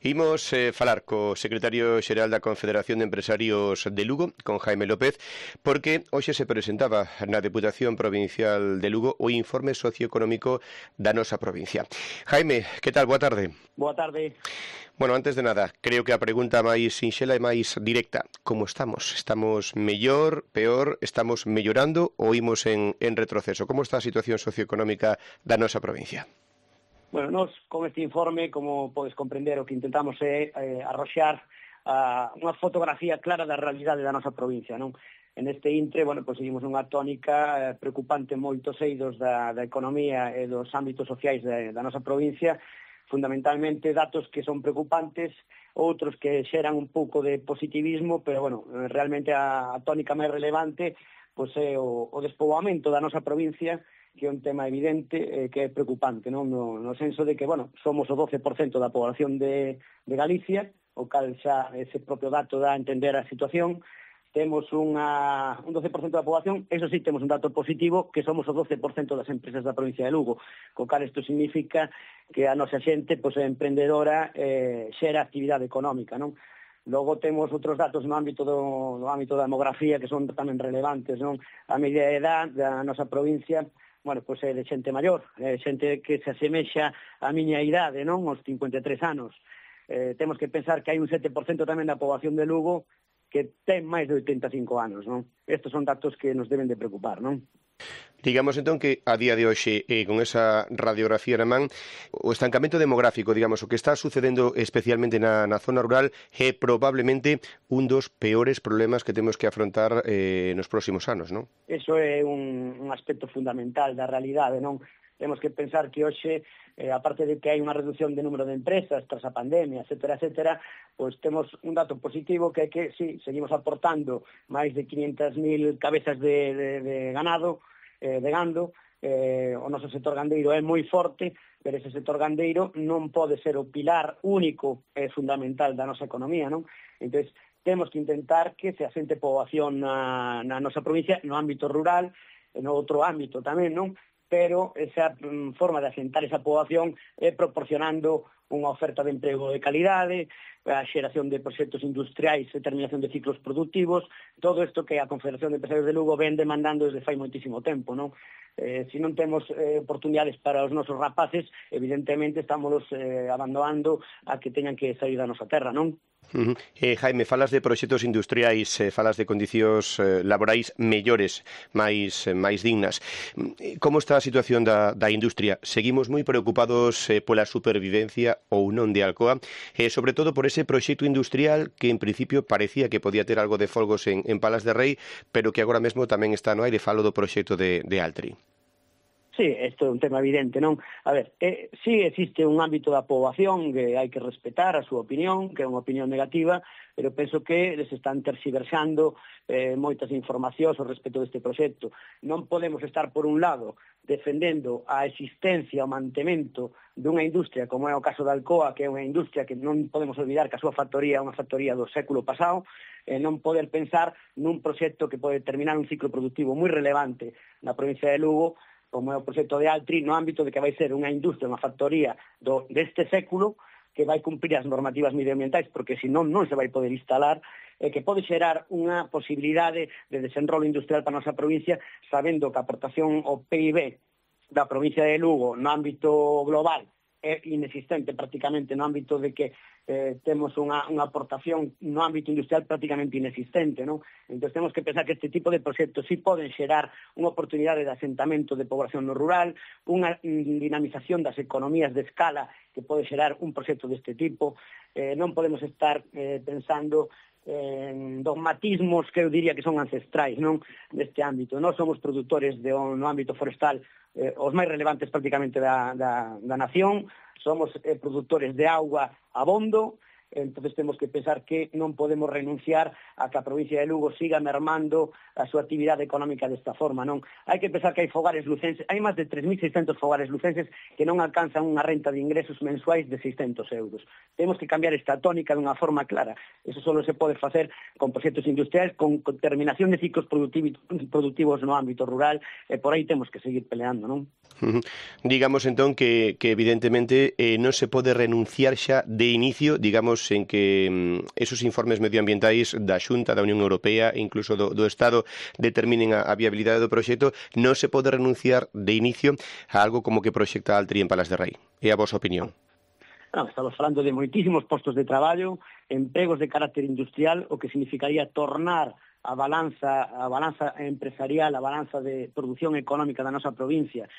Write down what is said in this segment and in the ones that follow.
Imos falar co secretario xeral da Confederación de Empresarios de Lugo, con Jaime López, porque hoxe se presentaba na Deputación Provincial de Lugo o informe socioeconómico da nosa provincia. Jaime, que tal? Boa tarde. Boa tarde. Bueno, antes de nada, creo que a pregunta máis sinxela e máis directa. Como estamos? Estamos mellor, peor? Estamos mellorando ou imos en retroceso? Como está a situación socioeconómica da nosa provincia? Bueno, nós con este informe, como podes comprender, o que intentamos é arroxar unha fotografía clara da realidade da nosa provincia, non? En este intre, bueno, pois seguimos unha tónica preocupante en moitos eidos da economía e dos ámbitos sociais da nosa provincia, fundamentalmente datos que son preocupantes, outros que xeran un pouco de positivismo, pero, bueno, realmente a tónica máis relevante pois é o despoboamento da nosa provincia, que é un tema evidente que é preocupante, non? No senso de que, bueno, somos o 12% da población de Galicia, o cal xa ese propio dato dá a entender a situación. Temos un 12% da poboación, eso sí, temos un dato positivo, que somos o 12% das empresas da provincia de Lugo, co cal isto significa que a nosa xente pois, é emprendedora, xera actividade económica, non? Logo temos outros datos no ámbito da demografía que son tamén relevantes, non? A media edad da nosa provincia, bueno, pois é de xente maior, xente que se asemexa á miña idade, non? Os 53 anos. Temos que pensar que hai un 7% tamén da poboación de Lugo que ten máis de 85 anos, non? Estes son datos que nos deben de preocupar, non? Digamos, entón, que a día de hoxe, con esa radiografía na man, o estancamento demográfico, digamos, o que está sucedendo especialmente na zona rural é probablemente un dos peores problemas que temos que afrontar nos próximos anos, non? Eso é un aspecto fundamental da realidade, non? Temos que pensar que hoxe, aparte de que hai unha reducción de número de empresas tras a pandemia, etcétera, pois temos un dato positivo que é que, sí, seguimos aportando máis de 500.000 cabezas de ganado, o noso sector gandeiro é moi forte, pero ese sector gandeiro non pode ser o pilar único e fundamental da nosa economía, non? Entón, temos que intentar que se asente poboación na nosa provincia, no ámbito rural, e no outro ámbito tamén, non? Pero esa forma de asentar esa poboación é proporcionando unha oferta de emprego de calidade, a xeración de proxectos industriais e terminación de ciclos productivos, todo isto que a Confederación de Empresarios de Lugo ven demandando desde fai moitísimo tempo, non? Se non temos oportunidades para os nosos rapaces, evidentemente estamos abandonando a que teñan que sair da nosa terra, non? Jaime, falas de proxectos industriais, falas de condicións laborais mellores, máis dignas. Como está a situación da industria? Seguimos moi preocupados pola supervivencia ou non de Alcoa, sobre todo por ese proxecto industrial que en principio parecía que podía ter algo de folgos en Palas de Rei, pero que agora mesmo tamén está no aire. Falo do proxecto de Altri. Sí, isto é un tema evidente, non? A ver, sí existe un ámbito da poboación que hai que respetar a súa opinión, que é unha opinión negativa, pero penso que les están terxiversando moitas informacións ao respecto deste proxecto. Non podemos estar, por un lado, defendendo a existencia, o mantemento dunha industria como é o caso da Alcoa, que é unha industria que non podemos olvidar que a súa factoría é unha factoría do século pasado, non poder pensar nun proxecto que pode terminar un ciclo productivo moi relevante na provincia de Lugo, como é o proxecto de Altri, no ámbito de que vai ser unha industria, unha factoría deste século, que vai cumprir as normativas medioambientais, porque senón non se vai poder instalar, que pode xerar unha posibilidade de desenrolo industrial para a nosa provincia, sabendo que a aportación ao PIB da provincia de Lugo no ámbito global é inexistente prácticamente, no ámbito de que temos unha aportación no ámbito industrial prácticamente inexistente, non? Entón temos que pensar que este tipo de proxectos sí poden xerar unha oportunidade de asentamento de poboación no rural, unha dinamización das economías de escala que pode xerar un proxecto deste tipo. Non podemos estar pensando en dogmatismos que eu diría que son ancestrais, non? Neste ámbito. Nós somos produtores no ámbito forestal os máis relevantes prácticamente da nación, somos produtores de auga abondo, entonces temos que pensar que non podemos renunciar a que a provincia de Lugo siga mermando a súa actividade económica desta forma, non? Hai que pensar que hai fogares lucenses, hai máis de 3.600 fogares lucenses que non alcanzan unha renta de ingresos mensuais de 600 euros. Temos que cambiar esta tónica dunha forma clara. Eso só se pode facer con proxectos industriais, con terminación de ciclos productivos no ámbito rural, e por aí temos que seguir peleando, non? Digamos entón que evidentemente non se pode renunciar xa de inicio, digamos, en que esos informes medioambientais da Xunta, da Unión Europea e incluso do Estado determinen a viabilidade do proxecto, non se pode renunciar de inicio a algo como que proxecta Altri en Palas de Rei. É a vosa opinión? Non, estamos falando de moitísimos postos de traballo, empregos de carácter industrial, o que significaría tornar a balanza empresarial, a balanza de produción económica da nosa provincia.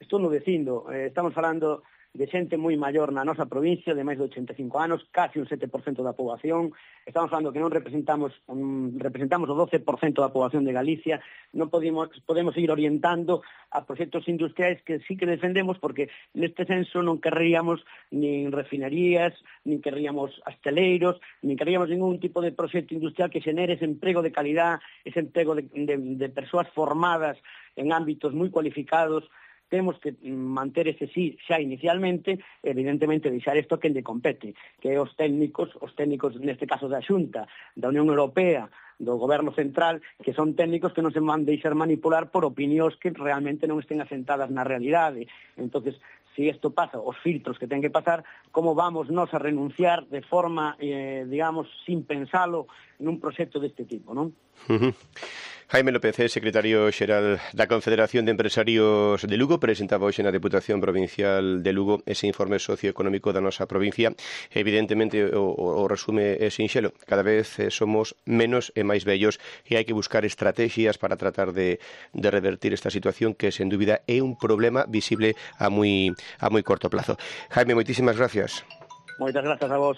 Estou no dicindo, estamos falando de xente moi maior na nosa provincia, de máis de 85 anos, casi un 7% da poboación. Estamos falando que non representamos o 12% da poboación de Galicia. Non podemos ir orientando a proxectos industriais que sí que defendemos, porque neste senso non querríamos nin refinerías, nin querríamos asteleiros, nin querríamos ningún tipo de proxecto industrial que xenere ese emprego de calidad, ese emprego de persoas formadas en ámbitos moi cualificados. Temos que manter ese sí xa inicialmente, evidentemente deixar isto quen lle compete, que é os técnicos neste caso da Xunta, da Unión Europea, do Goberno Central, que son técnicos que non se van deixar manipular por opinións que realmente non estén asentadas na realidade. Entonces, se isto pasa, os filtros que ten que pasar, como vamos nós a renunciar de forma, digamos, sin pensalo, nun proxecto deste tipo, non? Jaime López, secretario xeral da Confederación de Empresarios de Lugo, presentaba hoxe na Deputación Provincial de Lugo ese informe socioeconómico da nosa provincia. Evidentemente, o resume é sinxelo. Cada vez somos menos e máis vellos e hai que buscar estrategias para tratar de revertir esta situación que, sen dúbida, é un problema visible a moi corto plazo. Jaime, moitísimas gracias. Moitas grazas a vos.